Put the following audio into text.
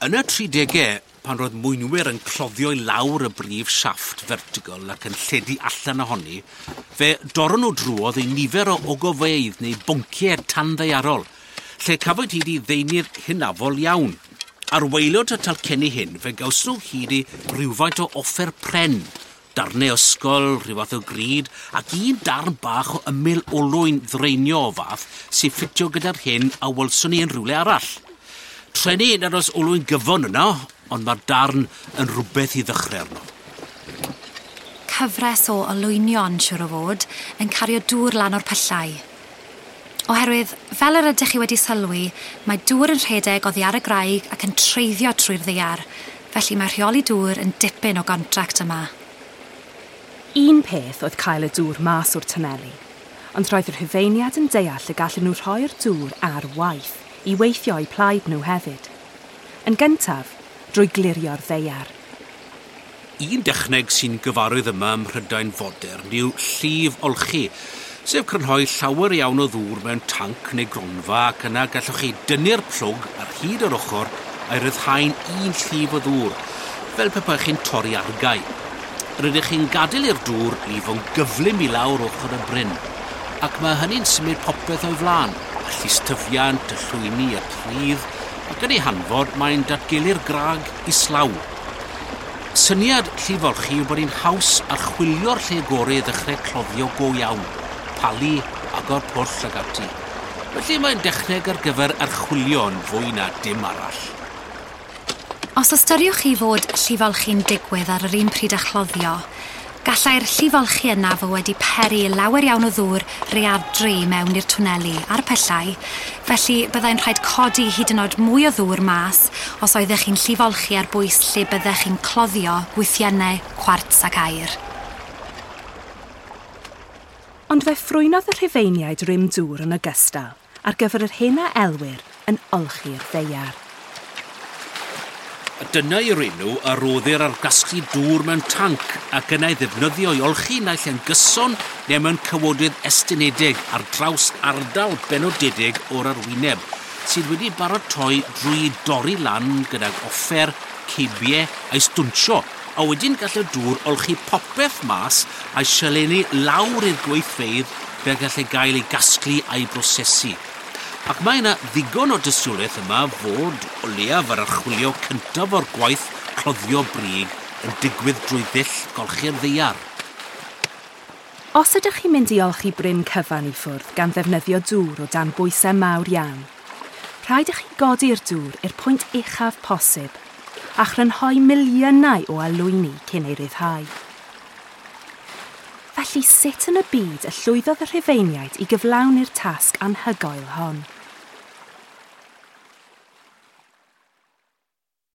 Yn y 30au, pan roedd mwynwyr yn cloddio i lawr y brif siafft vertical ac yn lledu allan ohoni, fe dorron nhw drwodd i nifer o ogofeydd neu bonciau tanddaearol, lle cafwyd hyd i ddeunydd hynafol iawn. Ar waelod y talcenni hyn, fe gawson nhw hyd i rywfaint o offer pren, darnau ysgol, rhyw fath o grid, ac un darn bach o ymyl olwyn ddraenio o fath sy'n ffitio gyda'r hyn a welswn ni yn rhywle arall. Treni nad oes olwyn gyfon yno, ond mae'r darn yn rhywbeth i ddechrau arno. Cyfres o olwynion, siŵr o fod, yn cario dŵr lan o'r pyllau. Oherwydd, fel yr ydych chi wedi sylwi, mae dŵr yn rhedeg oddi ar y graig ac yn treiddio trwy'r ddaear, felly mae rheoli dŵr yn dipyn o gontract yma. Un peth oedd cael y dŵr mas o'r twneli, ond roedd y Rhufeiniaid yn deall y gallen nhw rhoi'r dŵr ar waith i weithio eu plaid nhw hefyd. Yn gyntaf, drwy glirio'r ddaear. Un dechneg sy'n gyfarwydd yma ym Mhrydain fodern yw llif olchi, sef crynhoi llawer iawn o ddŵr mewn tanc neu gronfa ac yna gallwch chi dynnu'r plwg ar hyd yr ochr a'i ryddhau'n un llif o ddŵr, fel pe baech chi'n torri argae. Rydych chi'n gadael i'r dŵr lifo'n gyflym i lawr ochr y bryn, ac mae hynny'n symud popeth o'i flaen, y llystyfiant, y llwyni, y pridd, ac yn ei hanfod mae'n datgelu'r graig islaw. Syniad llifolchi yw bod hi'n haws archwilio'r lle gorau i ddechrau cloddio go iawn, palu, agor pwll ac ati. Felly mae'n dechneg ar gyfer archwilio yn fwy na dim arall. Os ystyriwch chi fod llifolchi'n digwydd ar yr un pryd â chloddio, gallai'r llifolchi yna fod wedi peri lawer iawn o ddŵr rhaeadru i mewn i'r twneli a'r pyllau, felly byddai'n rhaid codi hyd yn oed mwy o ddŵr mas os oeddech chi'n llifolchi ar bwys lle byddech chi'n cloddio gwythiennau, cwarts ac aur. Ond fe ffrwynodd y Rhufeiniaid rym dŵr yn ogystal ar gyfer yr hyn a elwir yn olchi'r ddaear. A dyna yw'r enw a roddir ar gasglu dŵr mewn tanc ac yna ei ddefnyddio i olchi naill yn gyson neu mewn cawodydd estynedig ar draws ardal benodedig o'r arwyneb sydd wedi baratoi drwy dorri lan gydag offer, ceibiau a'i stwnsio, a wedyn gall y dŵr olchi popeth mas a'i sialennu lawr i'r gweithfeydd fel gall e gael ei gasglu a'i brosesu. Ac mae yna ddigon o dystiolaeth yma fod o leiaf yr archwilio cyntaf o'r gwaith cloddio brig yn digwydd drwy ddull golchi'r ddaear. Os ydych chi'n mynd i olchi bryn cyfan i ffwrdd gan ddefnyddio dŵr o dan bwysau mawr iawn, rhaid i chi godi'r dŵr i'r pwynt uchaf posib a chrynhoi miliynau o alwyni cyn ei ryddhau. Felly sut yn y byd y llwyddodd y Rhufeiniaid i gyflawni'r tasg anhygoel hon?